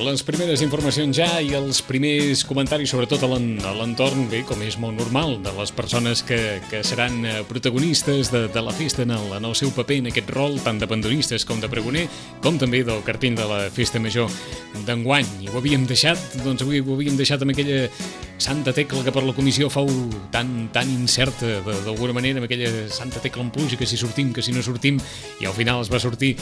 Les primeres informacions ja i els primers comentaris, sobretot a l'entorn, bé, com és molt normal, de les persones que seran protagonistes de la festa en el seu paper, en aquest rol, tant de panderistes com de pregoner, com també del cartell de la Festa Major d'enguany. I ho havíem deixat, doncs avui ho havíem deixat amb aquella santa tecla que per la comissió fou tan incerta, d'alguna manera, amb aquella santa tecla en pluja, que si sortim, que si no sortim, i al final es va sortir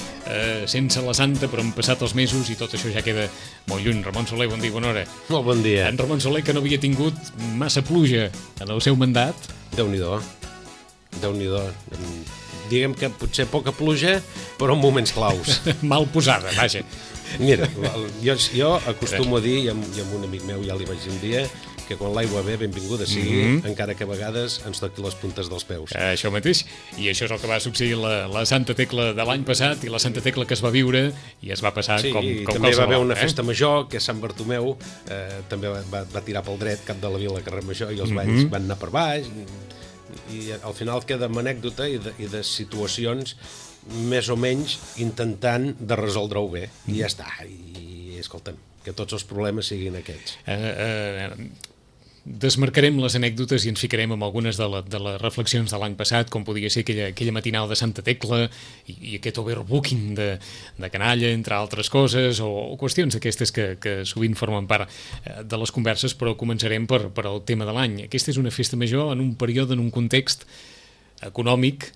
sense la santa, però han passat els mesos i tot això ja queda molt lluny. Ramon Soler, bon dia, bona hora. Molt bon dia. En Ramon Soler, que no havia tingut massa pluja en el seu mandat. Déu-n'hi-do. Déu-n'hi-do. Diguem que potser poca pluja, però en moments claus. Mal posada, vaja. Mira, jo acostumo a dir, i amb un amic meu ja li vaig dir un dia, que quan l'aigua ve, benvinguda sigui, encara que a vegades ens toqui les puntes dels peus. Això mateix, i això és el que va succeir la Santa Tecla de l'any passat i la Santa Tecla que es va viure i es va passar com qualsevol. També va haver una festa major, que és Sant Bartomeu, també va tirar pel dret, cap de la vila, carrer Major, i els balls van anar per baix, i al final queda amb anècdota i de situacions més o menys intentant de resoldre-ho bé, i ja està, i escolta'm, que tots els problemes siguin aquests. Desmarcarem les anècdotes i ens ficarem amb algunes de les reflexions de l'any passat, com podia ser aquella matinal de Santa Tecla i aquest overbooking de canalla, entre altres coses, o qüestions d'aquestes que sovint formen part de les converses, però començarem per el tema de l'any. Aquesta és una festa major en un període, en un context econòmic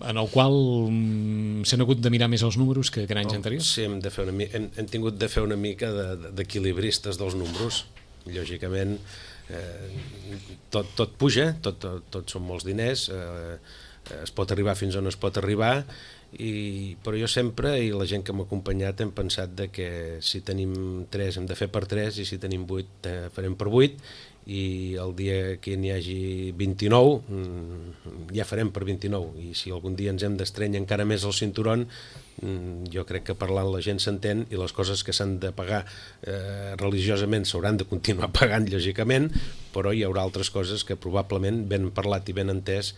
en el qual s'han hagut de mirar més els números que en anys anteriors? Sí, hem tingut de fer una mica d'equilibristes dels números. Lògicament, tot puja, tot són molts diners, es pot arribar fins on es pot arribar, però jo sempre, i la gent que m'ha acompanyat, hem pensat que si tenim 3 hem de fer per 3 i si tenim 8 farem per 8, i el dia que n'hi hagi 29 ja farem per 29, i si algun dia ens hem d'estrènyer encara més el cinturon, jo crec que parlant la gent s'entén, i les coses que s'han de pagar religiosament s'hauran de continuar pagant, lògicament, però hi haurà altres coses que probablement, ben parlat i ben entès,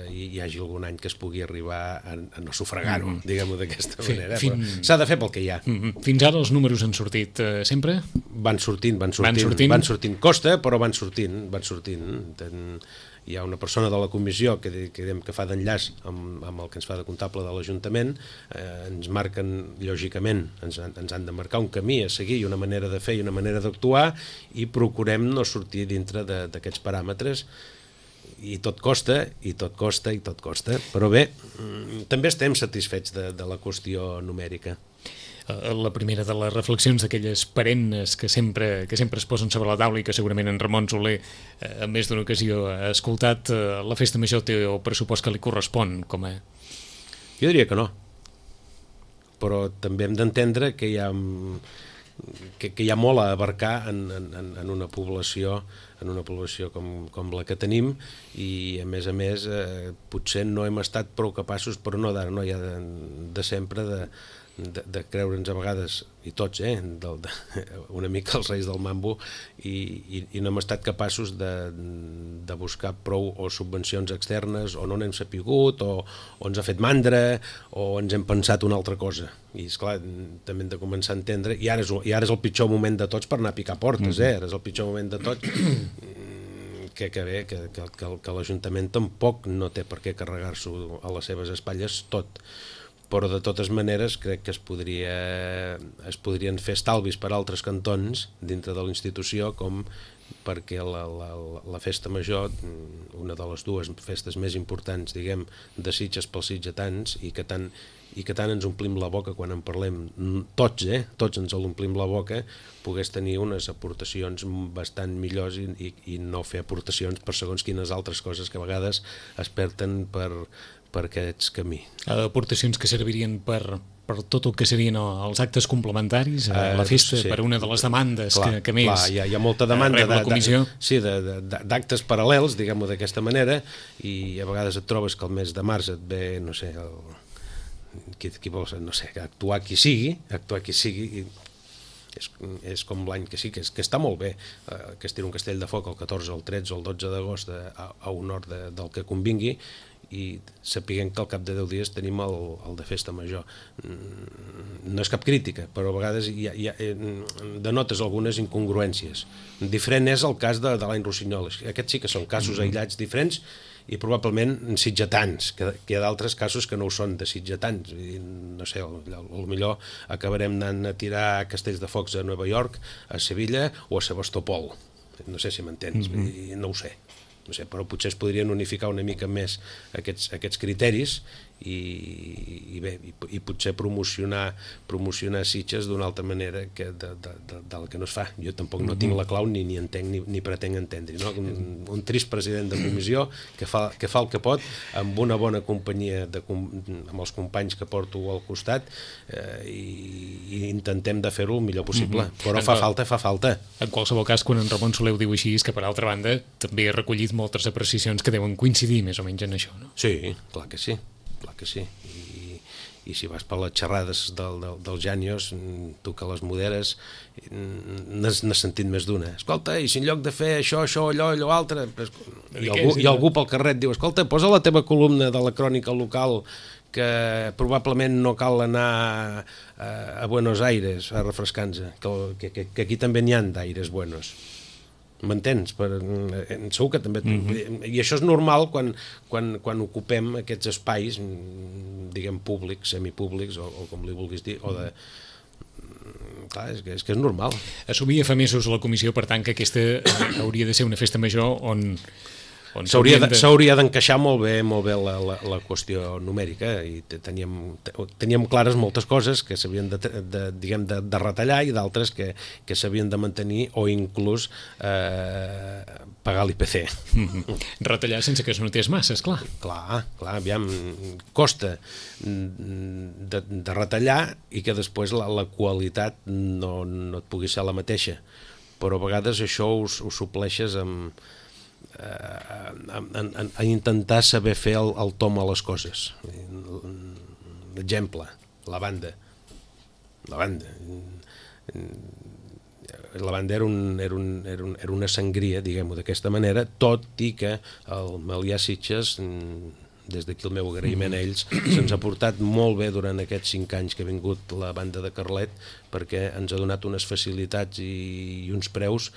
hi hagi algun any que es pugui arribar a no sufragar-ho, diguem-ho d'aquesta manera. S'ha de fer pel que hi ha. Fins ara els números han sortit sempre? Van sortint. Costa, però van sortint. Hi ha una persona de la comissió que fa d'enllaç amb el que ens fa de comptable de l'Ajuntament, ens marquen, lògicament, ens han de marcar un camí a seguir i una manera de fer i una manera d'actuar, i procurem no sortir dintre d'aquests paràmetres, i tot costa, però bé, també estem satisfets de la qüestió numèrica. La primera de les reflexions d'aquelles perennes que sempre es posen sobre la taula i que segurament en Ramon Soler en més d'una ocasió ha escoltat, la festa major té el pressupost que li correspon com a... Jo diria que no, però també hem d'entendre que hi ha molt a abarcar en una població com la que tenim, i a més potser no hem estat prou capaços, però no d'ara, no, ja de sempre, de creure'ns a vegades, i tots, una mica els reis del mambo, i no hem estat capaços de buscar prou o subvencions externes, o no n'hem sapigut, o ens ha fet mandra, o ens hem pensat una altra cosa. I esclar, també hem de començar a entendre, i ara és el pitjor moment de tots per anar a picar portes, ara és el pitjor moment de tots, que l'Ajuntament tampoc no té per què carregar-s'ho a les seves espatlles tot, però de totes maneres crec que es podrien fer estalvis per altres cantons dintre de la institució, com perquè la festa major, una de les dues festes més importants, diguem, de Sitges pels sitgetans, i que tant ens omplim la boca quan en parlem, tots ens l'omplim la boca, pogués tenir unes aportacions bastant millors i no fer aportacions per segons quines altres coses que a vegades es perden per aquests camins. Aportacions que servirien per tot el que serien els actes complementaris a la festa, per una de les demandes que més... Clar, hi ha molta demanda la comissió. D'actes paral·lels, diguem-ho d'aquesta manera, i a vegades et trobes que el mes de març et ve, no sé, qui vols, no sé, actuar qui sigui, i és com l'any que sí, que està molt bé, que es tira un castell de foc el 14, el 13 o el 12 d'agost a un hort del que convingui, i sapiguem que al cap de 10 dies tenim el de festa major. No és cap crítica, però a vegades denotes algunes incongruències. Diferent és el cas de l'any Rossinyol. Aquests sí que són casos aïllats diferents i probablement sitgetans, que hi ha d'altres casos que no ho són de sitgetans. No sé, potser acabarem anant a tirar castells de focs a Nova York, a Sevilla o a Sebastopol. No sé si m'entens, no ho sé. No sé, però potser es podrien unificar una mica més aquests criteris i potser promocionar Sitges d'una altra manera que del que no es fa. Jo tampoc no tinc la clau ni entenc ni pretenc entendre, no? Un trist president de comissió que fa el que pot amb una bona companyia amb els companys que porto al costat i intentem de fer-ho el millor possible, però fa falta. En qualsevol cas, quan en Ramon Soler ho diu així, és que per altra banda també he recollit moltes apreciacions que deuen coincidir més o menys en això, no? Sí, clar que sí. I si vas per les xerrades dels Jànios, tu que les moderes, n'has sentit més d'una. Escolta, i si en lloc de fer això, allò altre, i algú pel carrer et diu, escolta, posa la teva columna de la crònica local que probablement no cal anar a Buenos Aires a refrescar-nos, que aquí també n'hi ha d'aires buenos. M'entens? Segur que també... I això és normal quan ocupem aquests espais, diguem, públics, semipúblics, o com li vulguis dir, o de... Clar, és que és normal. Assumia fa mesos la comissió, per tant, que aquesta hauria de ser una festa major on s'hauria d'encaixar molt bé la qüestió numèrica i teníem clares moltes coses que s'havien de retallar i d'altres que s'havien de mantenir o inclús pagar l'IPC. Retallar sense que es notés massa, esclar. Clar, aviam, costa de retallar i que després la qualitat no et pugui ser la mateixa, però a vegades això ho supleixes a intentar saber fer el tom a les coses. Exemple, la banda era una sangria, diguem-ho d'aquesta manera, tot i que el Melià Sitges, des d'aquí el meu agraïment a ells, se'ns ha portat molt bé durant aquests 5 anys que ha vingut la banda de Carlet, perquè ens ha donat unes facilitats i uns preus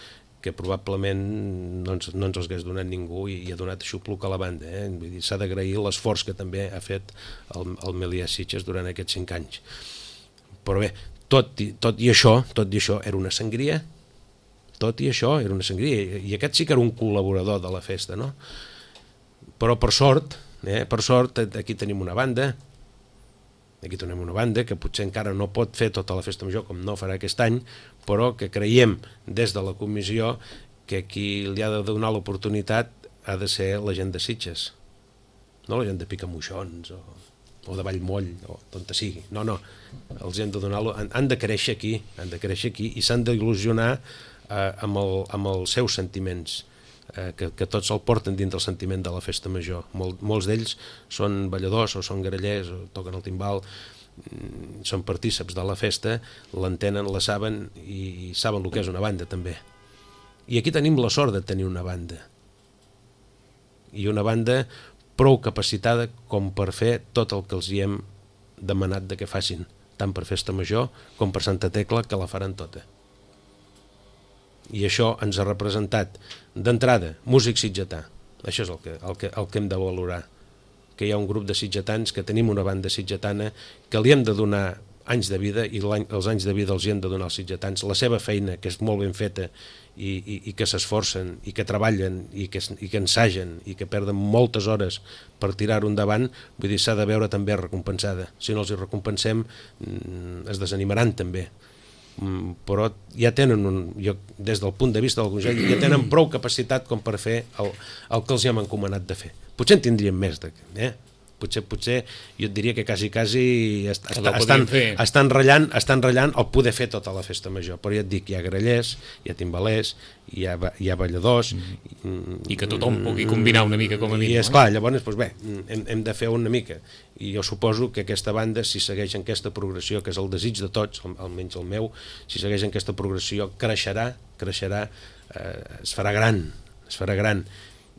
que probablement no ens els hagués donat ningú i ha donat xupluc a la banda. Vull dir, s'ha d'agrair l'esforç que també ha fet el Melià Sitges durant aquests 5 anys. Però bé, tot i això era una sangria, i aquest sí que era un col·laborador de la festa, no? Però per sort, aquí tenim una banda, que potser encara no pot fer tota la festa major com no farà aquest any, però que creiem des de la comissió que qui li ha de donar l'oportunitat ha de ser la gent de Sitges, no la gent de Picamoixons o de Vallmoll o d'on sigui. No, els hem de donar-lo, han de créixer aquí i s'han d'il·lusionar amb els seus sentiments, que tots el porten dins del sentiment de la festa major. Molts d'ells són balladors o són grallers o toquen el timbal, són partíceps de la festa, l'entenen, la saben i saben el que és una banda també. I aquí tenim la sort de tenir una banda, i una banda prou capacitada com per fer tot el que els hi hem demanat de que facin, tant per festa major com per Santa Tecla, que la faran tota. I això ens ha representat d'entrada músic sitgetà. Això és el que hem de valorar, que hi ha un grup de sitgetans, que tenim una banda sitgetana, que li hem de donar anys de vida, i els anys de vida els hi hem de donar als sitgetans, la seva feina, que és molt ben feta i que s'esforcen i que treballen i que ensagen i que perden moltes hores per tirar-ho endavant, vull dir, s'ha de veure també recompensada. Si no els hi recompensem, es desanimaran també. Però ja tenen des del punt de vista del Consell, ja tenen prou capacitat com per fer el que els hi hem encomanat de fer. Potser en tindríem més, potser jo et diria que quasi estan ratllant el poder fer tota la festa major, però ja et dic, hi ha grallers, hi ha timbalers, hi ha balladors, i que tothom pugui combinar una mica com a mínim. I esclar, llavors hem de fer una mica, i jo suposo que aquesta banda, si segueix en aquesta progressió, que és el desig de tots, almenys el meu, si segueix en aquesta progressió, creixerà, es farà gran,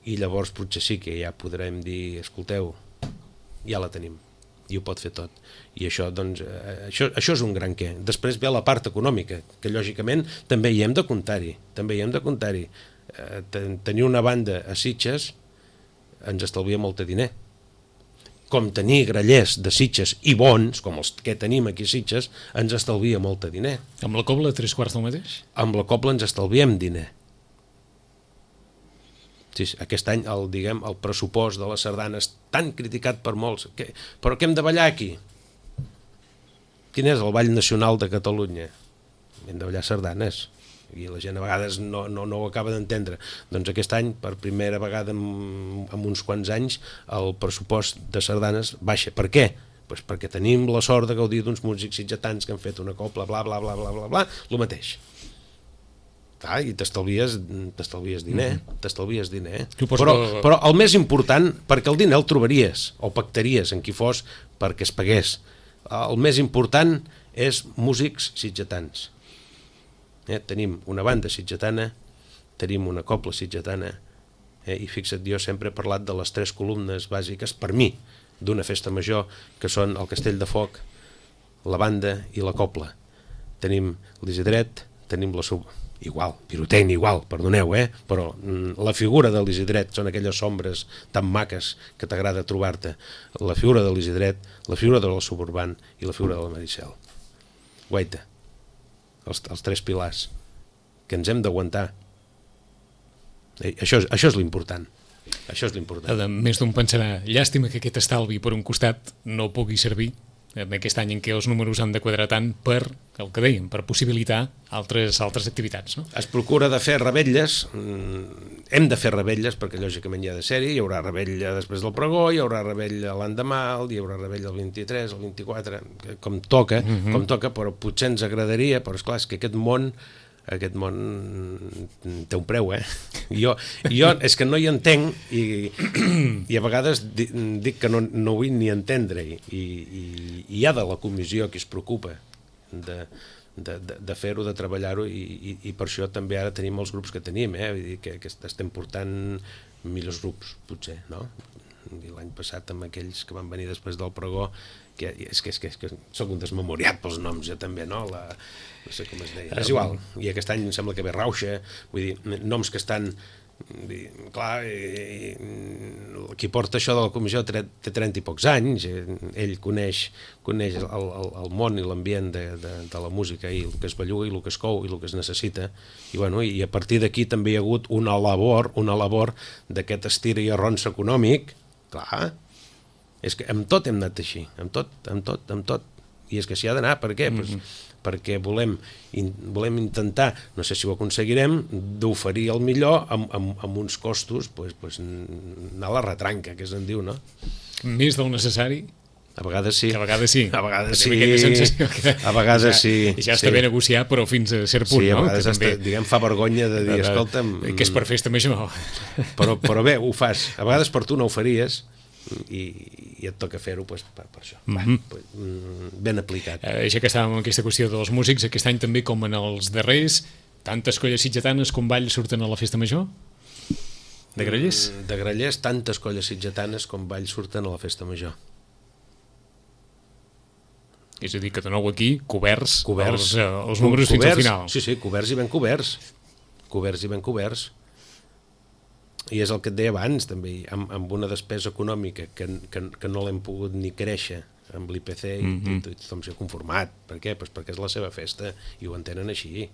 i llavors potser sí que ja podrem dir, escolteu, ja la tenim, i ho pot fer tot. I això, doncs, això és un gran què. Després ve la part econòmica, que lògicament també hi hem de comptar-hi. Tenir una banda a Sitges ens estalvia molt de diner. Com tenir grallers de Sitges i bons, com els que tenim aquí a Sitges, ens estalvia molt de diner. Amb la cobla, 3/4 del mateix? Amb la cobla ens estalviem diner. Sí, aquest any el pressupost de la sardana és tan criticat per molts. Però què hem de ballar aquí? Quin és el ball nacional de Catalunya? Hem de ballar sardanes. I la gent a vegades no ho acaba d'entendre. Doncs aquest any, per primera vegada en uns quants anys, el pressupost de sardanes baixa. Per què? Pues perquè tenim la sort de gaudir d'uns músics sitgetans que han fet una cobla, bla, bla, bla, bla, bla, bla, el mateix. I t'estalvies diner, Però el més important, perquè el diner el trobaries o pactaries en qui fos perquè es pagués. El més important és músics sitgetans. Tenim una banda sitgetana, tenim una cobla sitgetana, i fixa't, jo sempre he parlat de les 3 columnes bàsiques, per mi, d'una festa major, que són el Castell de Foc, la banda i la cobla. Tenim l'Isidret, tenim la pirotecnia igual, perdoneu, però la figura de l'Isidret són aquelles ombres tan maques que t'agrada trobar-te. La figura de l'Isidret, la figura de la Suburban i la figura de la Maricel. Guaita, els 3 pilars que ens hem d'aguantar. Això és l'important. Més d'un pensarà, llàstima que aquest estalvi per un costat no pugui servir en aquest any en què els números han de quadrar tant per, el que dèiem, per possibilitar altres activitats, no? Es procura de fer revetlles, hem de fer revetlles perquè lògicament hi ha de ser-hi, hi haurà revetlla després del pregó, hi haurà revetlla l'endemà, hi haurà revetlla el 23, el 24, com toca, però potser ens agradaria, però esclar, és que aquest món té un preu, Jo és que no hi entenc i a vegades dic que no vull ni entendre-hi, i hi ha de la comissió que es preocupa de fer-ho, de treballar-ho, i per això també ara tenim els grups que tenim, vull dir que estem portant millors grups, potser, no? L'any passat amb aquells que van venir després del pregó, que és que soc un desmemoriat pels noms, jo també, no? No sé com es deia. És igual. I aquest any em sembla que ve Rauxa, vull dir, noms que estan... Clar, qui porta això de la comissió té 30 i pocs anys, ell coneix el món i l'ambient de la música, i el que es belluga i el que es cou i el que es necessita, i a partir d'aquí també hi ha hagut una labor d'aquest estira i arronsa econòmic. Clar, és que amb tot hem anat així, amb tot, i és que s'hi ha d'anar. Per què? Perquè volem intentar, no sé si ho aconseguirem, d'oferir el millor amb uns costos, anar a la retranca, que se'n diu, no? Més del necessari? A vegades sí. A vegades sí. A vegades sí. Ja està bé negociar, però fins a cert punt, no? Sí, a vegades diguem, fa vergonya de dir, escolta'm... Que és per festa major. Però bé, ho fas. A vegades per tu no ho faries, i et toca fer-ho per això. Ben aplicat. Ja que estàvem en aquesta qüestió dels músics, aquest any també, com en els darrers, tantes colles sitgetanes com balls surten a la festa major? De grallers? De grallers, tantes colles sitgetanes com balls surten a la festa major. És a dir, que de nou aquí, coberts els números fins al final. Sí, coberts i ben coberts. I és el que et deia abans, també, amb una despesa econòmica que no l'hem pogut ni créixer amb l'IPC, i tothom s'hi ha conformat. Per què? Perquè és la seva festa, i ho entenen així.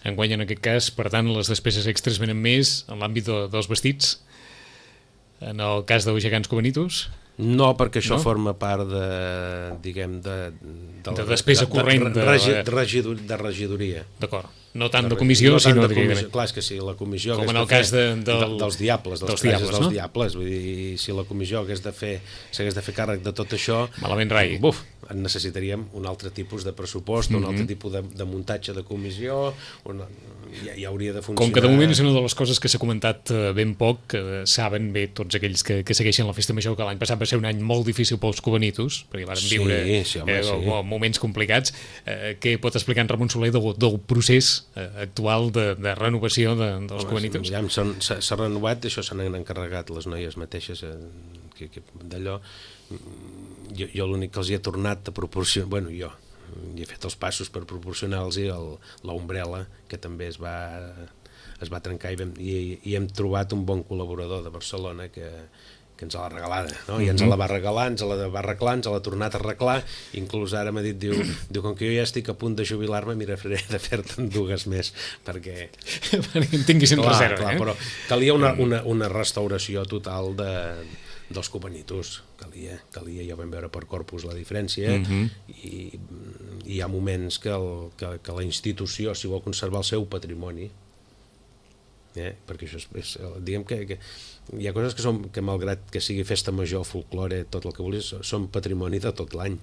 Enguany, en aquest cas, per tant, les despeses extres venen més en l'àmbit dels vestits? En el cas dels gegants Cubanitos? No, perquè això forma part de despesa corrent de regidoria. D'acord. No tant de comissió, sinó de... Clar, és que si la comissió... Com en el cas dels diables, dels diables. Vull dir, si la comissió s'hagués de fer càrrec de tot això... Malament rai. Necessitaríem un altre tipus de pressupost, un altre tipus de muntatge de comissió, ja hauria de funcionar... Com que de moment és una de les coses que s'ha comentat ben poc, que saben bé tots aquells que segueixen la festa major, que l'any passat va ser un any molt difícil pels cubanitos, perquè varen viure moments complicats. Què pot explicar en Ramon Soler del procés actual de renovació dels cubanitos? S'ha renovat, això s'han encarregat les noies mateixes d'allò, jo l'únic que els hi he tornat a proporcionar, bueno, jo hi he fet els passos per proporcionar-los l'ombrella, que també es va trencar, i hem trobat un bon col·laborador de Barcelona que ens l'ha regalada, no? I ens la va regalar, ens la va arreglar, ens l'ha tornat a arreglar, inclús ara m'ha dit, diu, com que jo ja estic a punt de jubilar-me, mira, faré de fer-te'n dues més, perquè en tinguis en reserva. Clar, però calia una restauració total dels cubanitos, calia, ja vam veure per Corpus la diferència, i hi ha moments que la institució, si vol conservar el seu patrimoni, perquè això és diguem que hi ha coses que malgrat que sigui festa major, folklore, tot el que vulguis, són patrimoni de tot l'any,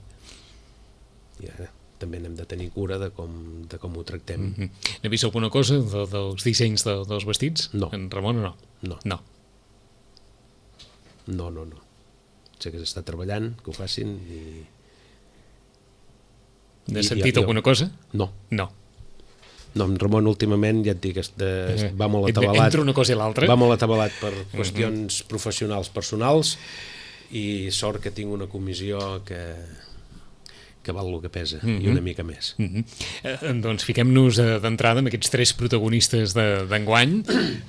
i ara també n'hem de tenir cura de com ho tractem. N'he vist alguna cosa dels dissenys dels vestits? No. En Ramon o no? No. Sé que s'està treballant, que ho facin, i... N'has sentit alguna cosa? No. No, en Ramon últimament, ja et dic, va molt atabalat. Entre una cosa i l'altra. Va molt atabalat per qüestions professionals personals, i sort que tinc una comissió que val el que pesa, i una mica més. Doncs fiquem-nos d'entrada amb aquests 3 protagonistes d'enguany,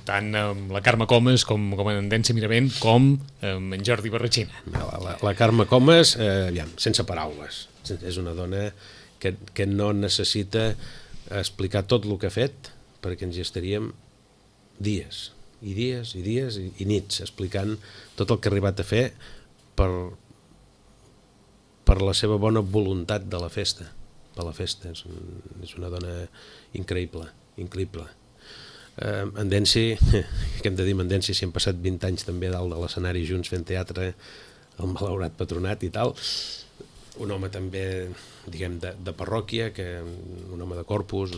tant amb la Carme Comas com en Endència Miravent, com amb en Jordi Barratxina. La Carme Comas, sense paraules. És una dona que no necessita explicar tot el que ha fet, perquè ens hi estaríem dies i nits explicant tot el que ha arribat a fer per la seva bona voluntat de la festa, per la festa. És una dona increïble. Endenci, què hem de dir, Endenci, si hem passat 20 anys també dalt de l'escenari junts fent teatre, el malaurat Patronat i tal, un home també, diguem, de parròquia, un home de Corpus,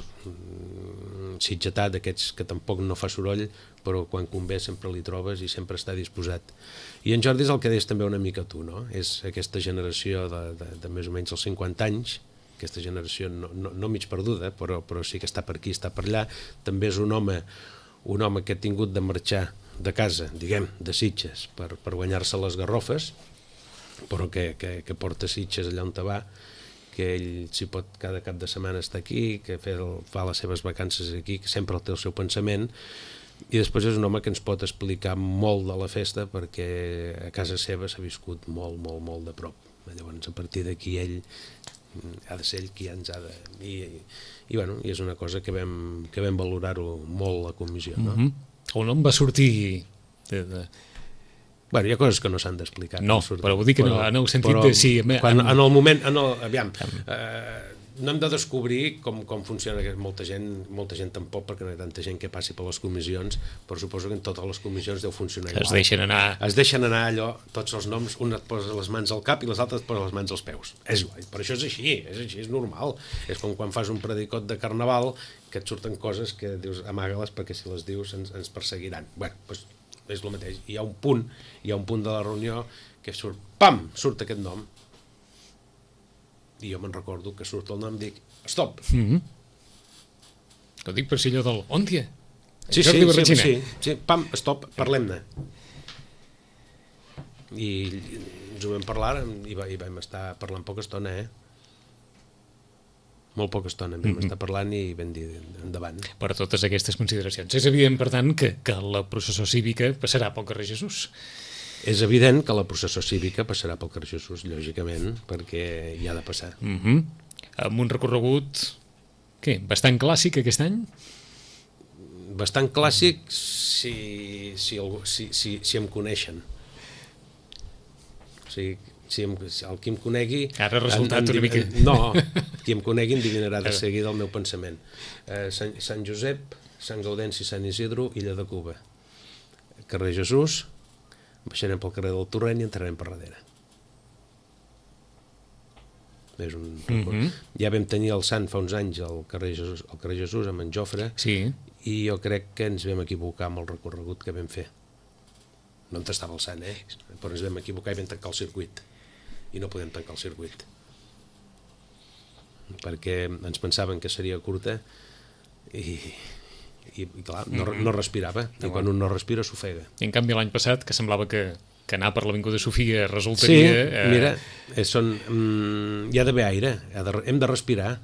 sitgetà, d'aquests que tampoc no fa soroll, però quan convé sempre li trobes i sempre està disposat. I en Jordi és el que deies també una mica tu, no? És aquesta generació de més o menys els 50 anys, aquesta generació no mig perduda, però sí que està per aquí, està per allà. També és un home que ha tingut de marxar de casa, diguem, de Sitges, per guanyar-se les garrofes, però que porta Sitges allà on te va, que ell s'hi pot cada cap de setmana estar aquí, que fa les seves vacances aquí, que sempre té el seu pensament, i després és un home que ens pot explicar molt de la festa, perquè a casa seva s'ha viscut molt de prop. Llavors, a partir d'aquí ell ha de ser ell qui ens ha de... I és una cosa que vam valorar-ho molt la comissió, no? El nom va sortir... Hi ha coses que no s'han d'explicar. No, però vull dir que en el sentit de... Sí, en el moment... Aviam, no hem de descobrir com funciona molta gent tampoc, perquè no hi ha tanta gent que passi per les comissions, però suposo que en totes les comissions deu funcionar igual. Es deixen anar allò, tots els noms, un et posa les mans al cap i les altres et posa les mans als peus. És igual, però això és així, és normal. És com quan fas un predicot de carnaval, que et surten coses que dius, amaga-les perquè si les dius ens perseguiran. Doncs és el mateix. Hi ha un punt de la reunió que surt, pam, surt aquest nom. I jo me'n recordo que surt el nom i dic, stop. Ho dic per si allò del Òntia. Sí, pam, stop, parlem-ne. I ens ho vam parlar i vam estar parlant poca estona, molt poca estona vam estar parlant i vam dir endavant. Per totes aquestes consideracions. És evident, per tant, que la processó cívica passarà pel carrer Jesús. És evident que la processó cívica passarà pel carrer Jesús, lògicament, perquè hi ha de passar. Amb un recorregut, bastant clàssic aquest any? Bastant clàssic si em coneixen. O sigui, el qui em conegui... Ara ha resultat una mica... No, qui em conegui endivinarà de seguida el meu pensament. Sant Josep, Sant Gaudenci, Sant Isidro, Illa de Cuba. Carrer Jesús, baixarem pel carrer del Torrent i entrarem per darrere. Ja vam tenir el Sant fa uns anys al carrer Jesús amb en Jofre, i jo crec que ens vam equivocar amb el recorregut que vam fer. No on estava el Sant, però ens vam equivocar i vam tancar el circuit. I no podem tancar el circuit. Perquè ens pensaven que seria curta i clar, no respirava. I quan un no respira s'ofega. I en canvi l'any passat, que semblava que que anar per l'Avinguda Sofia resultaria... Sí, mira, hi ha d'haver aire, hem de respirar.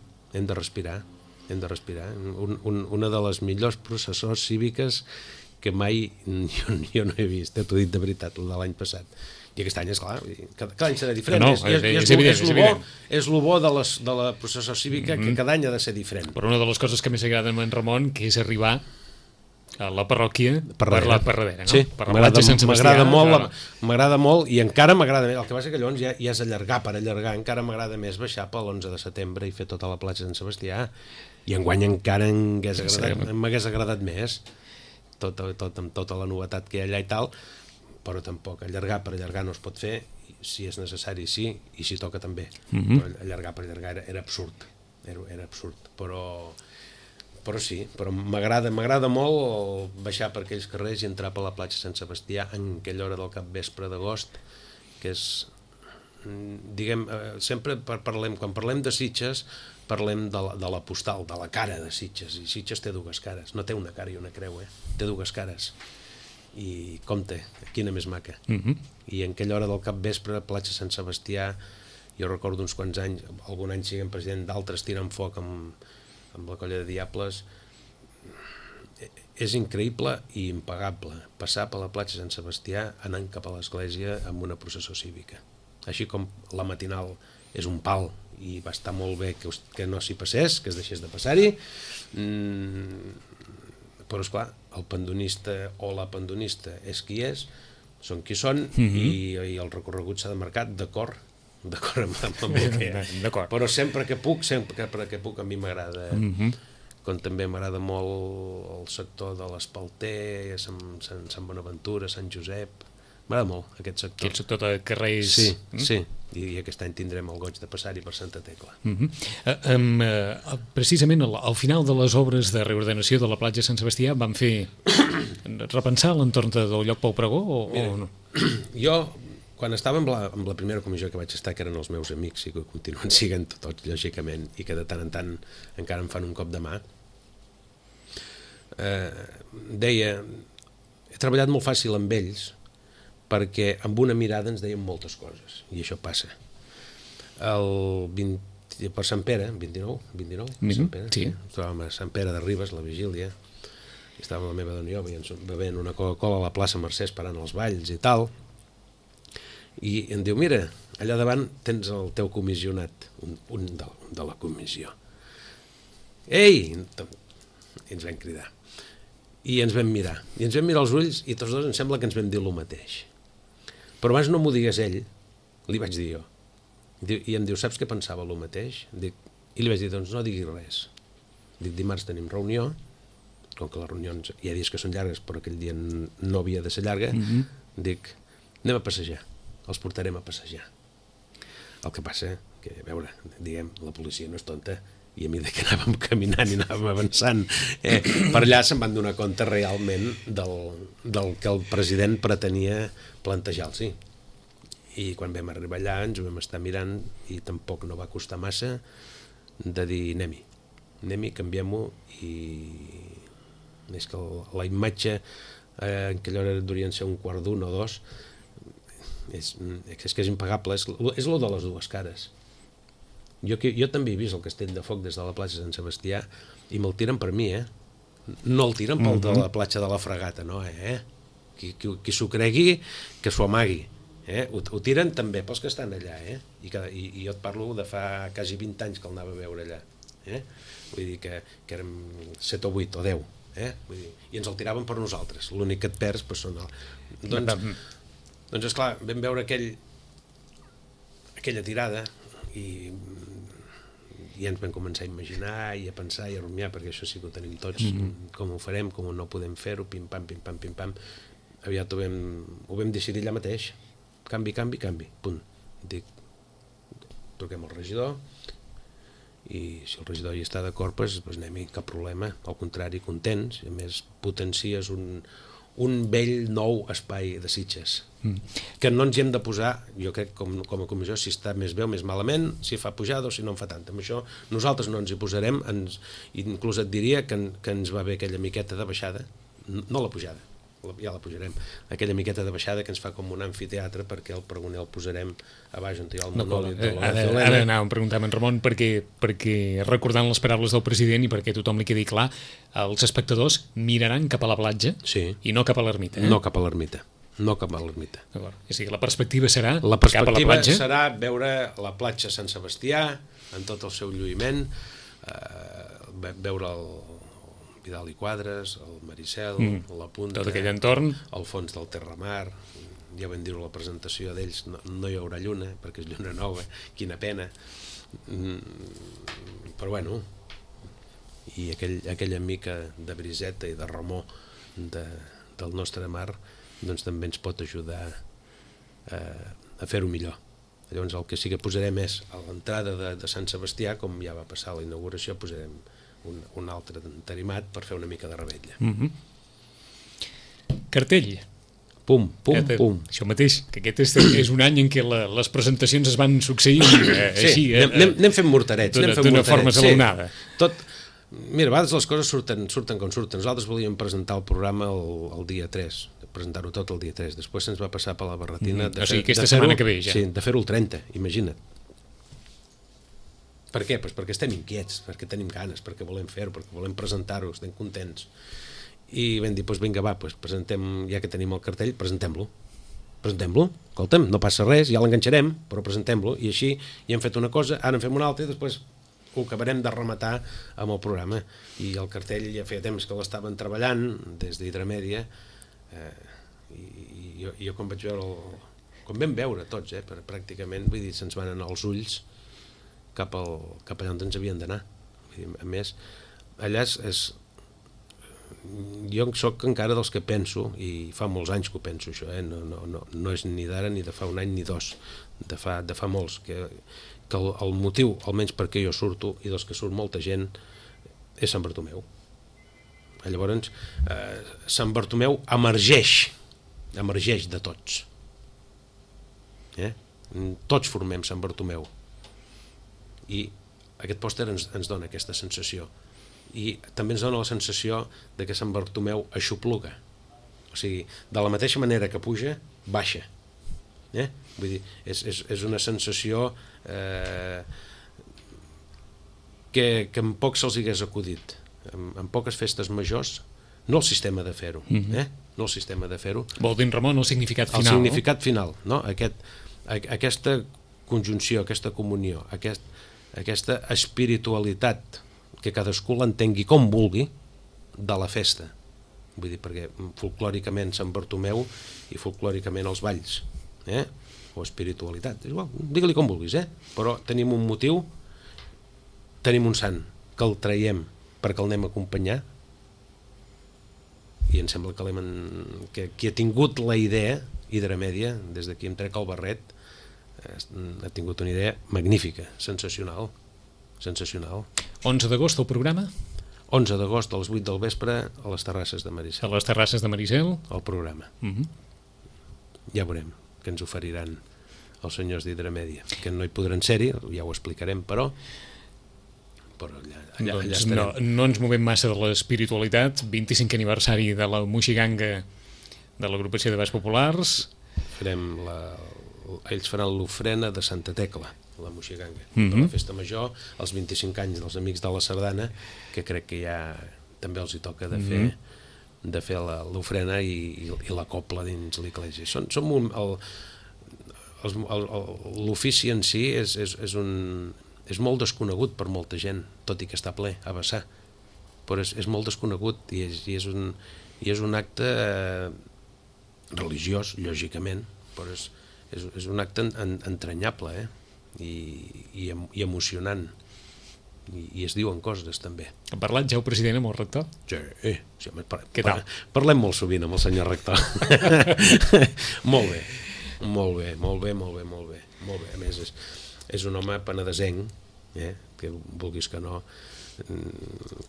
Una de les millors processors cíviques que mai jo no he vist, t'ho he dit de veritat, el de l'any passat. I aquest any, esclar, cada any serà diferent. És evident. És el bo de la processó cívica, que cada any ha de ser diferent. Però una de les coses que més agrada a en Ramon, que és arribar a la parròquia per la Parradera, no? Sí, per la platja Sant Sebastià. M'agrada molt, i encara m'agrada més. El que passa que llavors ja és allargar per allargar, encara m'agrada més baixar per l'11 de setembre i fer tota la platja Sant Sebastià, i enguany encara m'hagués agradat més, amb tota la novetat que hi ha allà i tal, però tampoc allargar per allargar no es pot fer, si és necessari sí, i si toca també. Però allargar per allargar era absurd, era absurd, però sí, però m'agrada molt baixar per aquells carrers i entrar per la platja Sant Sebastià en aquella hora del capvespre d'agost, que és, diguem, sempre quan parlem de Sitges, parlem de la postal, de la cara de Sitges, i Sitges té dues cares, no té una cara i una creu, té dues cares, i compte, quina més maca. I en aquella hora del capvespre, platja Sant Sebastià, jo recordo uns quants anys, algun any siguem president, d'altres tiren foc amb la colla de diables, és increïble i impagable passar per la platja Sant Sebastià anant cap a l'església amb una processó cívica, així com la matinal és un pal i va estar molt bé que no s'hi passés, que es deixés de passar-hi, però esclar, el pandonista o la pandonista és qui és, són qui són, i el recorregut s'ha de marcar d'acord amb el que hi ha. Però sempre que puc a mi m'agrada, com també m'agrada molt el sector de l'Espalter, Sant Bonaventura, Sant Josep, m'agrada molt aquest sector. Aquest sector de carrers... Sí, i aquest any tindrem el goig de passar-hi per Santa Tecla. Precisament al final de les obres de reordenació de la platja Sant Sebastià van fer repensar l'entorn del lloc Pau Pregó o no? Jo, quan estava amb la primera comissió que vaig estar, que eren els meus amics i que continuen siguent tots, lògicament, i que de tant en tant encara em fan un cop de mà, deia, he treballat molt fàcil amb ells, perquè amb una mirada ens deien moltes coses, i això passa. Per Sant Pere, 29, Sant Pere, sí. Estàvem a Sant Pere de Ribes, la vigília, estava la meva dona i jo bevent una Coca-Cola a la plaça Mercè esperant els balls i tal, i em diu, mira, allà davant tens el teu comissionat, un de la comissió. Ei! I ens vam cridar. I ens vam mirar els ulls, i tots dos em sembla que ens vam dir el mateix. Però abans no m'ho digués ell, li vaig dir jo. I em diu, saps què pensava el mateix? I li vaig dir, doncs no diguis res. Dic, dimarts tenim reunió, com que les reunions hi ha dies que són llargues, però aquell dia no havia de ser llarga, dic, anem a passejar, els portarem a passejar. El que passa que, a veure, diguem, la policia no és tonta, i a mesura que anàvem caminant i anàvem avançant, per allà se'n van donar compte realment del que el president pretenia plantejar-los. I quan vam arribar allà ens ho vam estar mirant i tampoc no va costar massa de dir anem-hi, canviem-ho, i és que la imatge en aquella hora durien ser 1:15 o 2, és que és impagable, és lo de les dues cares. Jo també he vist el castell de foc des de la platja Sant Sebastià i me'l tiren per mi, no el tiren pel de la platja de la Fregata, no, qui s'ho cregui que s'ho amagui, ho tiren també pels que estan allà, i jo et parlo de fa quasi 20 anys que el anava a veure allà, vull dir que érem 7 o 8 o 10, vull dir, i ens el tiraven per nosaltres, l'únic que et perds són doncs esclar, vam veure aquella tirada i ens vam començar a imaginar i a pensar i a rumiar, perquè això sí que ho tenim tots, com ho farem, com no podem fer-ho, pim-pam, aviat ho vam decidir allà mateix, canvi, punt. Dic, truquem al regidor, i si el regidor hi està d'acord, doncs anem-hi, cap problema, al contrari, contents, i a més potencies un vell nou espai de Sitges, que no ens hi hem de posar, jo crec, com a comissió, si està més bé o més malament, si fa pujada o si no en fa tant. Amb això nosaltres no ens hi posarem, inclús et diria que ens va bé aquella miqueta de baixada, no la pujada, ja la pujarem, aquella miqueta de baixada que ens fa com un amfiteatre, perquè el pregoner el posarem a baix on hi ha el monòlit de la Magdalena. Ara anàvem a preguntar a en Ramon perquè recordant les paraules del president i perquè tothom li quedi clar, els espectadors miraran cap a la platja i no cap a l'ermita. No cap a l'ermita. No cap a l'ermita. És a dir, la perspectiva serà cap a la platja? Serà veure la platja Sant Sebastià en tot el seu lluïment, veure el Vidal i Quadres, el Maricel, la Punta, tot aquell entorn, el fons del Terramar. Ja vam dir-ho a la presentació d'ells, no hi haurà lluna, perquè és lluna nova, quina pena. Però bueno, i aquella mica de briseta i de remor del nostre mar, doncs també ens pot ajudar a fer-ho millor. Llavors el que sí que posarem és a l'entrada de Sant Sebastià, com ja va passar a la inauguració, posarem un altre entarimat per fer una mica de revetlla. Cartell. Pum, pum, pum. Això mateix, que aquest és un any en què les presentacions es van succeint així. Anem fent morterets. D'una forma esglaonada. Mira, a vegades les coses surten com surten. Nosaltres volíem presentar el programa el dia 3, presentar-ho tot el dia 3. Després se'ns va passar per la barretina aquesta setmana que ve ja. Sí, de fer-ho el 30, imagina't. Per què? Pues perquè estem inquiets, perquè tenim ganes, perquè volem fer-ho, perquè volem presentar-ho, estem contents. I vam dir, doncs vinga, va, presentem, ja que tenim el cartell, presentem-lo. Escolta'm, no passa res, ja l'enganxarem, però presentem-lo. I així ja hem fet una cosa, ara en fem una altra i després ho acabarem de rematar amb el programa. I el cartell ja feia temps que l'estaven treballant des d'Hidromèdia, i jo quan vaig veure com vam veure tots, pràcticament, vull dir, se'ns van anar els ulls cap allà on ens havien d'anar. A més, allà jo soc encara dels que penso, i fa molts anys que ho penso això, no és ni d'ara ni de fa un any ni dos, de fa molts, que el motiu, almenys perquè jo surto i dels que surt molta gent, és Sant Bartomeu. Llavors, Sant Bartomeu emergeix de tots. Tots formem Sant Bartomeu. I aquest pòster ens dona aquesta sensació. I també ens dona la sensació de que Sant Bartomeu aixopluga. O sigui, de la mateixa manera que puja, baixa. Vull dir, és una sensació que en poc se'ls hagués acudit. En poques festes majors, no el sistema de fer-ho, no el sistema de fer-ho. Vol dir, Ramon, el significat final. El significat final, no? Aquesta conjunció, aquesta comunió, aquesta espiritualitat, que cadascú l'entengui com vulgui, de la festa. Vull dir, perquè folclòricament Sant Bartomeu i folclòricament els balls, o espiritualitat, és igual, digue-li com vulguis, però tenim un motiu, tenim un sant, que el traiem perquè el anem a acompanyar, i em sembla que qui ha tingut la idea, Hidromèdia, des d'aquí em trec el barret, ha tingut una idea magnífica, sensacional. 11 d'agost el programa? 11 d'agost a les 8 del vespre a les Terrasses de Maricel. A les Terrasses de Maricel? El programa. Ja veurem que ens oferiran els senyors d'Hidromèdia, que no hi podran ser-hi, ja ho explicarem, però allà estarem. No ens movem massa de l'espiritualitat. 25 aniversari de la Moixiganga, de l'agrupació de Balls Populars. Ells faran l'ofrena de Santa Tecla, la Moixiganga, de la festa major, els 25 anys dels Amics de la Sardana, que crec que ja també els hi toca de fer l'ofrena i la copla dins l'església. L'ofici en si és molt desconegut per molta gent, tot i que està ple a vessar, però és molt desconegut i és un acte religiós, lògicament, però és un acte entranyable i emocionant, i es diuen coses també. Ha parlat ja el president amb el rector? Sí, què tal? Parlem molt sovint amb el senyor rector. Molt bé. A més, és un home penedesenc, que vulguis que no,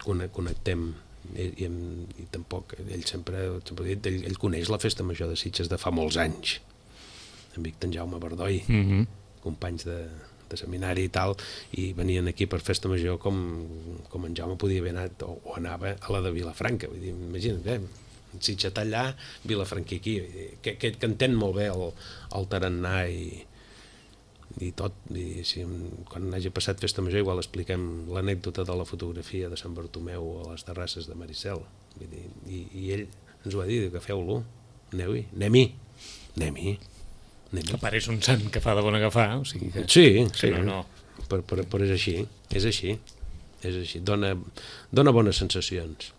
connectem, i tampoc, ell sempre ha dit, ell coneix la festa major de Sitges de fa molts anys, amic d'en Jaume Bardoi, companys de seminari i tal, i venien aquí per festa major com en Jaume podia haver anat o anava a la de Vilafranca. Vull dir, imagina't, Sitges-Tallà, Vilafranquí aquí, que entén molt bé el tarannà i tot, i si, quan hagi passat Festa Major igual expliquem l'anècdota de la fotografia de Sant Bartomeu a les terrasses de Maricel, i ell ens ho va dir, que feu-lo, aneu-hi, anem-hi. A part és un sant que fa de bon agafar, o sigui que... Sí, no. Però és així, dona bones sensacions.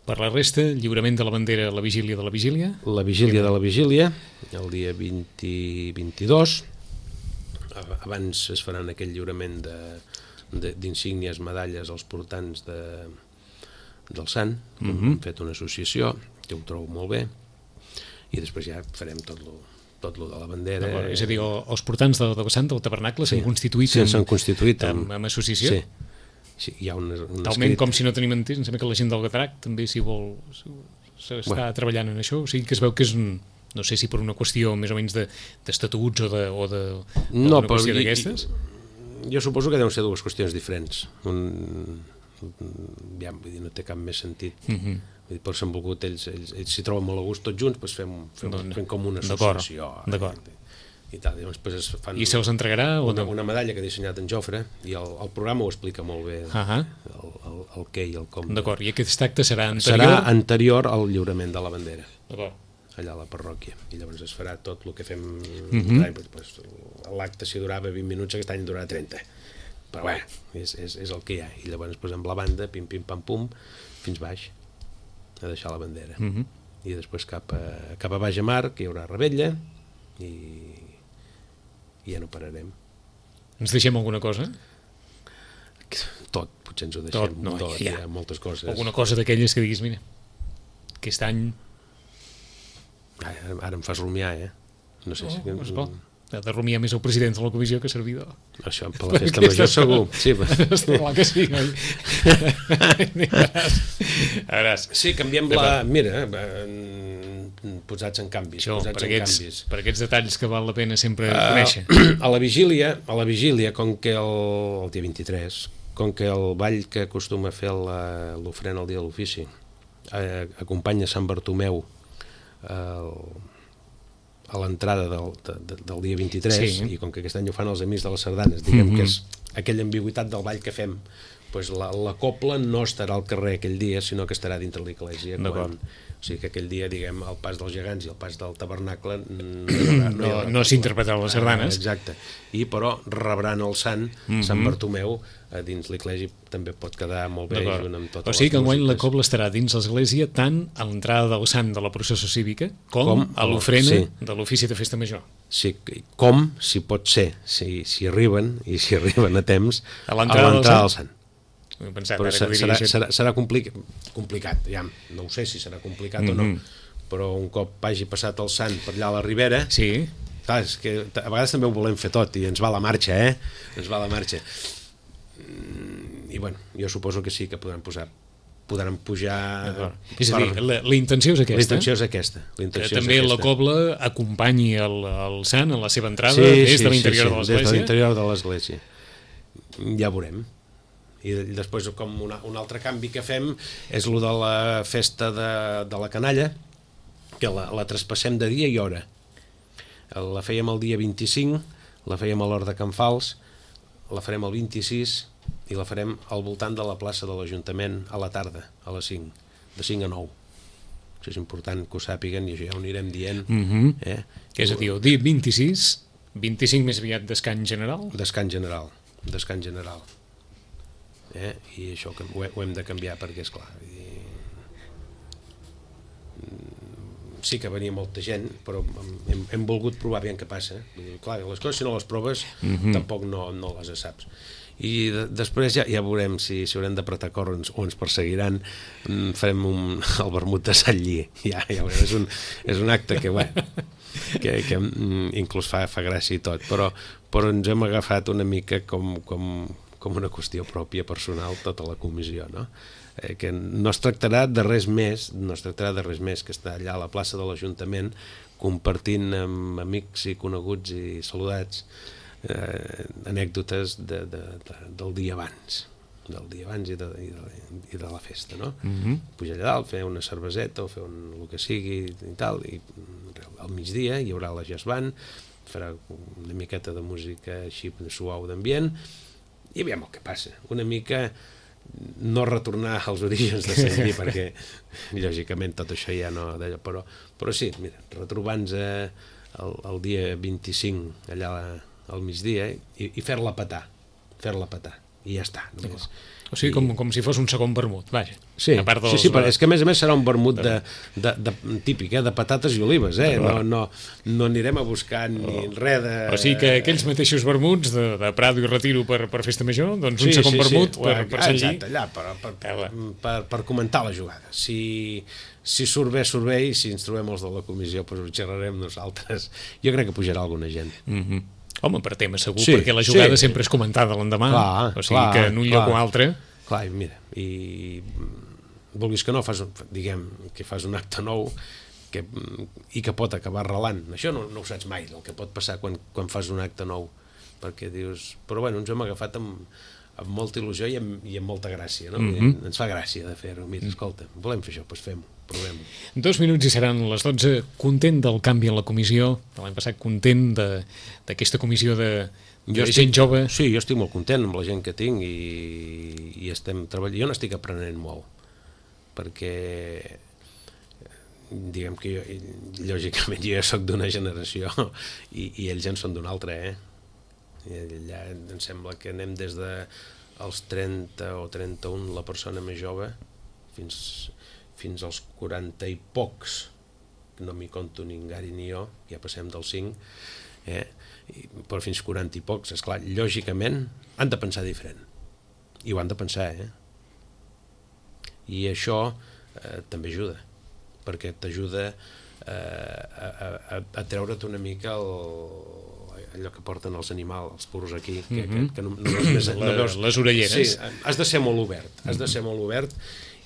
Per la resta, lliurament de la bandera a la vigília de la vigília? La vigília de la vigília, el dia 22, abans es faran aquell lliurament d'insígnies, medalles als portants del Sant, hem fet una associació, que ho trobo molt bé, i després ja farem tot lo de la bandera. És a dir, els portants del Sant, del tabernacle, s'han constituït amb associació? Sí, hi ha un talment com si no tenim entès, em sembla que la gent del Gatrac també s'hi vol s'està treballant en això, o sigui que es veu que és no sé si per una qüestió més o menys d'estatuts o d'una qüestió d'aquestes. Jo suposo que deuen ser dues qüestions diferents. Ja, vull dir, no té cap més sentit. Per s'han volgut, ells s'hi troben molt a gust tots junts, doncs fem com una associació. D'acord. I tal, i se'ls entregarà una medalla que ha dissenyat en Jofre, i el programa ho explica molt bé, el què i el com. D'acord, i aquest acte serà anterior? Serà anterior al lliurament de la bandera. D'acord. Allà a la parròquia, i llavors es farà tot el que fem. L'acte si durava 20 minuts, aquest any durarà 30, però bé, és el que hi ha, i llavors amb la banda, pim pim pam pum, fins baix a deixar la bandera, i després cap a baix a mar, que hi haurà rebella, i ja no pararem. Ens deixem alguna cosa? Tot, potser ens ho deixem. Tot, hi ha moltes coses. Alguna cosa d'aquelles que diguis, mira, aquest any... Ara em fas rumiar, no sé si... Ha de rumiar més el president de la comissió que servidor. Això, per la Festa Major segur. Sí, està clar que sí, oi? A veuràs. Sí, canviem la... Mira, posats en canvis. Això, per aquests detalls que val la pena sempre conèixer. A la vigília, com que el dia 23, com que el ball que acostuma a fer l'ofrena el dia de l'ofici acompanya Sant Bartomeu a l'entrada del dia 23, i com que aquest any ho fan els Amics de les Sardanes, diguem que és aquella ambigüitat del ball que fem, doncs la cobla no estarà al carrer aquell dia, sinó que estarà dintre l'església. O sigui que aquell dia, diguem, el pas dels gegants i el pas del tabernacle no s'interpretaran les sardanes. Exacte. Però rebran el Sant Bartomeu dins l'església, també pot quedar molt bé junt amb totes les músiques. O sigui que enguany la cobla estarà dins l'església tant a l'entrada del Sant de la processó cívica com a l'ofrena de l'ofici de Festa Major. Sí, com, si pot ser, si arriben a temps, a l'entrada del Sant. Però serà complicat, ja, no ho sé si serà complicat o no, però un cop hagi passat el Sant per allà a la Ribera, clar, és que a vegades també ho volem fer tot i ens va la marxa, ens va la marxa, i bueno, jo suposo que sí que podran pujar. És a dir, la intenció és aquesta. La intenció és aquesta. Que també la cobla acompanyi el Sant a la seva entrada des de l'interior de l'església. Des de l'interior de l'església. Ja veurem. I després, com un altre canvi que fem és el de la festa de la canalla, que la traspassem de dia i hora. La fèiem el dia 25, la fèiem a l'hora de Can Fals, la farem el 26 i la farem al voltant de la plaça de l'Ajuntament a la tarda, a les 5, de 5 a 9. Això és important que ho sàpiguen i això ja ho anirem dient. És a dir, el dia 26, 25 més aviat descans general? Descans general. I això ho hem de canviar perquè, esclar, sí que venia molta gent, però hem volgut provar bé què passa. Clar, les coses si no les proves tampoc no les saps. I després ja veurem si haurem d'apretar cor o ens perseguiran. Farem el vermut de Sant Lli, ja veurem, és un acte que inclús fa gràcia i tot, però ens hem agafat una mica com una qüestió pròpia personal tota la comissió, no? Que no es tractarà de res més que estar allà a la plaça de l'Ajuntament compartint amb amics i coneguts i saludats anècdotes del dia abans, del dia abans i de la festa, no? Pujar allà dalt, fer una cerveseta o fer el que sigui i tal, i al migdia hi haurà la jazz band, farà una miqueta de música així suau d'ambient, i veiem el que passa. Una mica no retornar als orígens de Sant Lli, perquè lògicament tot això ja no... Però sí, mira, retrobant-nos el dia 25 allà al migdia i fer-la petar, i ja està. Només. O sigui, com si fos un segon vermut, vaja. Sí, però és que a més serà un vermut típic, de patates i olives, no anirem a buscar ni res de... O sigui que aquells mateixos vermuts de Prado i Retiro per festa major, doncs un segon vermut per Sant Lli. Exacte, allà, per comentar la jugada. Si surt bé, i si ens trobem els de la comissió, doncs ho xerrarem nosaltres. Jo crec que pujarà alguna gent. Home, per tema segur, perquè la jugada sempre és comentada l'endemà, o sigui que en un lloc o altre... Clar, mira, i vulguis que no, diguem que fas un acte nou i que pot acabar relant. Això no ho saps mai, el que pot passar quan fas un acte nou, perquè dius... Però bueno, ens hem agafat amb molta il·lusió i amb molta gràcia, no? Ens fa gràcia de fer-ho. Mira, escolta, volem fer això, doncs fem-ho. Provem-ho. 2 minuts i seran les 12. Content del canvi en la comissió de l'any passat, content d'aquesta comissió de gent jove? Sí, jo estic molt content amb la gent que tinc i estem treballant. Jo n'estic aprenent molt, perquè diguem que jo, lògicament jo ja soc d'una generació i ells en són d'una altra, Allà em sembla que anem des dels 30 o 31 la persona més jove fins als 40 i pocs, no m'hi conto ni en Gary ni jo, ja passem dels 5, però fins 40 i pocs, esclar, lògicament han de pensar diferent, i ho han de pensar, i això també ajuda, perquè t'ajuda a treure't una mica allò que porten els animals, els purros aquí, que no veus les orelleres. Sí, has de ser molt obert,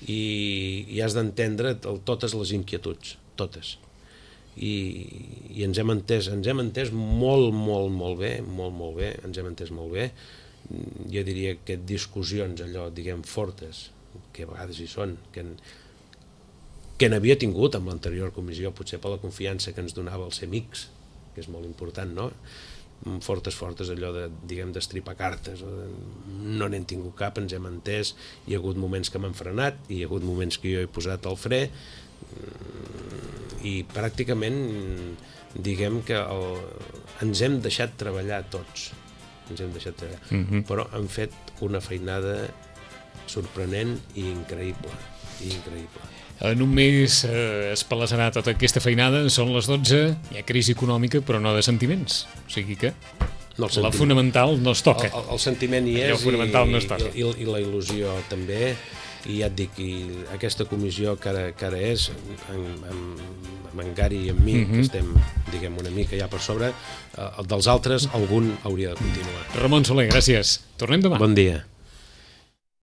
i has d'entendre totes les inquietuds, totes. I ens hem entès molt bé, ens hem entès molt bé. Jo diria que discussions allò, diguem, fortes, que a vegades hi són, que n'havia tingut amb l'anterior comissió, potser per la confiança que ens donava el ser amics, que és molt important, no? Fortes, allò d'estripar cartes, no n'hem tingut cap, ens hem entès, hi ha hagut moments que m'han frenat, hi ha hagut moments que jo he posat el fre, i pràcticament diguem que ens hem deixat treballar tots, però han fet una feinada sorprenent i increïble. En un mes es palassarà tota aquesta feinada, són les 12, hi ha crisi econòmica però no de sentiments, o sigui que la fonamental no es toca. El sentiment hi és, el fonamental no es toca. I la il·lusió també, i ja et dic, aquesta comissió que ara és, amb en Gary i amb mi, que estem, diguem, una mica ja per sobre, dels altres algun hauria de continuar. Ramon Soler, gràcies. Tornem demà. Bon dia.